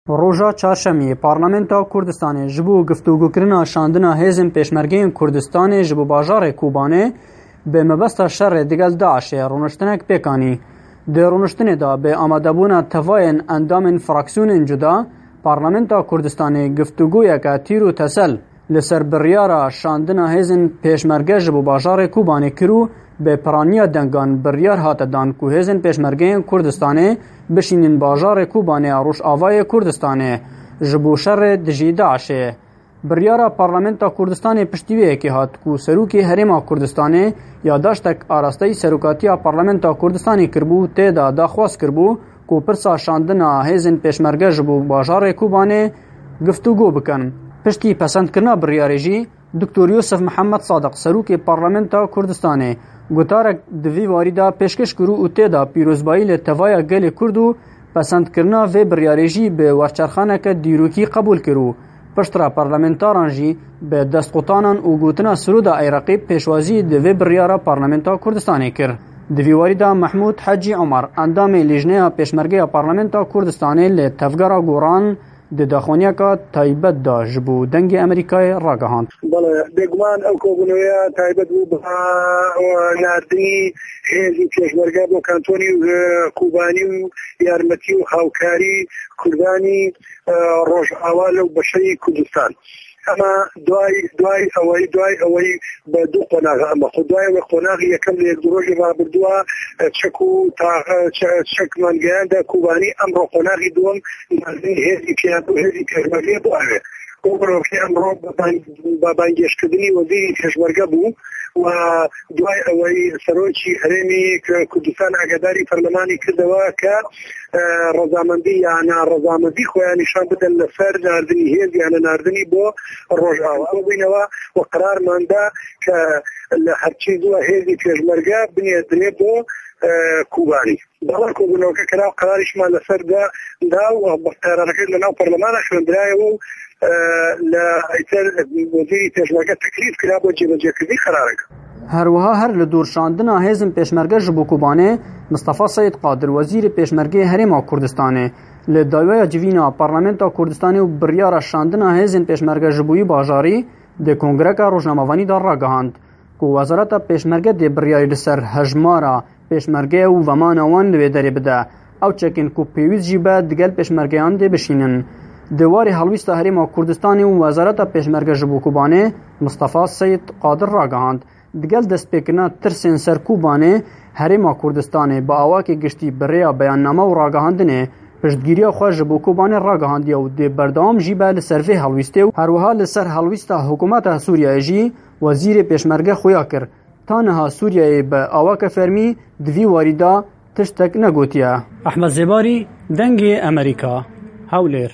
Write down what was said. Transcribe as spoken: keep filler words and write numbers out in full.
Roja Çarşemiyê Parlamenta Kurdistanê ji bo giftûgokirina şandina hêzên Pêşmergeyên Kurdistanê ji bo bajarê Kobanê bi mebesta şerê digel DAIŞê rûniştinek pêk anî. Di rûniştinê de bi amadebûna tevayên endamên fraksiyonên cuda, Parlamenta Kurdistanê giftûgoyeke tîr û tesel li ser biryara şandina hêzên Pêşmerge ji bo bajarê Kobanê kir û bi piraniya dengan biryar hate dan ku hêzên Pêşmergeyên Kurdistanê bişînin bajarê Kobanê ya Rojavayê Kurdistanê ji bo şerê dijî DAIŞê. Biryara Parlamenta Kurdistanê piştî wê yekê hat ku Serokê Herêma Kurdistanê yadaştek arasteyî Serokatiya Parlamenta Kurdistanê kiribû, tê de daxwaz kiribû ku pirsa şandina hêzên Pêşmerge ji bo bajarê Kobanê giftûgo bikin. Piştî pesendkirina biryarê jî, Doktor Yusuf Mihemed Sadiq, Serokê Parlamenta Kurdistanê, gotarek di vî warî de pêşkêş kirû û tê de pîrozbayî li tevaya gelê Kurd û pesendkirina vê biryarê jî bi werçerxaneke dîrokî qebûl kir û piştre parlamentaran jî bi destqutanan û gotina Siroda Eyraqî pêşwazî di vê biryara Parlamenta Kurdistanê kir. Di vî warî de Mehmûd Hecî Omer, endamê Lîjneya Pêşmergeya Parlamenta Kurdistanê li Tevgera Goran, di daxuyaniyeka taybet de ji bo Dengê Amerîkayê ragihand. Bele, bêguman ew kobûneya taybet bû bi nardinî hêzî pêşmerge bo kantonî û Kobanî û yarmetî û hawkarî Kurdanî, e, Rojava lew beşeyî Kurdistan. Ema duay, duay eweyî, duay eweyî bi du qonaxa ema xwe. Duay ewe qonaxî yekem li yek du rojê rabirdûa, e, çek û taxe, çe-, çek mengeyanda Kobanî, emro qonaxî duwem nardinî hêzî pêşmerge, hêzî pêşmergê bo ev e. Û mirov ki emro bi bang-, bi bangêşkirinî wezîrî pêşmerge bû û duay eweyî serokî herêmî Kurdistan agedarî perlemanî kirdewe ke, e, rezamendî ya na rezamendî xwe ya nîşan bide li ser nardinî hêz, yani nardinî bo Rojava. Ew bînewe û qerar manda ke li herçî zû hêzî pêşmerge binêrine bo, e, Kobanî. Bala ku gunokê kira qerarî şima li ser de da û qerareke li nav parlemana xwendiraye û, e, li ser wezîrî pêşmerge teklîf kira bo cêbecêkirdî qerarek. Her wiha her li dor şandina hêzên pêşmerge ji bo Kobanê, Mistefa Seyid Qadir, wezîrê pêşmergeyê Herêma Kurdistanê, li dawaya civîna Parlamenta Kurdistanê û biryara şandina hêzên pêşmerge ji bo wî bajarî di kongreka rojnamevanî de ragihand ku Wezareta Pêşmerge dê biryarî li ser hejmara pêşmerge û vemana wan li wê derê bide. Ew çekên ku pêwîst jî be digel pêşmergeyan dê bişînin. Di warê helwîsta Herêma Kurdistanê û Wezareta Pêşmerge ji bo Kobanê, Mistefa Seyid Qadir ragihand, digel destpêkirina tirsên ser Kobanê, Herêma Kurdistanê bi awakê giştî bi rêya beyanname û ragihandinê piştgiriya xwe ji bo Kobanê ragihandiye û dê berdewam jî be li ser vê helwîstê û her wiha li ser helwîsta hikûmeta Sûriyeyê jî wezîrê pêşmerge xuya kir, ta niha Sûriyeyê bi awake fermî di vî warî de tiştek negotiye. Ehmed Zêbarî, Dengê Amerîka, Hewlêr.